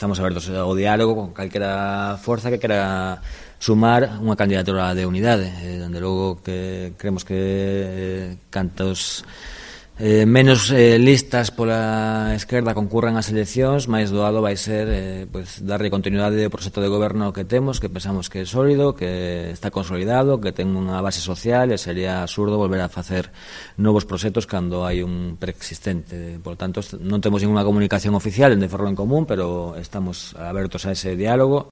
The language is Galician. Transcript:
estamos abertos ao diálogo con calquera forza que quera sumar unha candidatura de unidade. Dende logo que creemos que cantos menos listas pola esquerda concurran ás eleccións, máis doado vai ser darlle continuidade ao proxecto de goberno que temos, que pensamos que é sólido, que está consolidado, que ten unha base social, e sería absurdo volver a facer novos proxectos cando hai un preexistente. Por tanto, non temos ninguna comunicación oficial en de Ferrol en Común, pero estamos abertos a ese diálogo.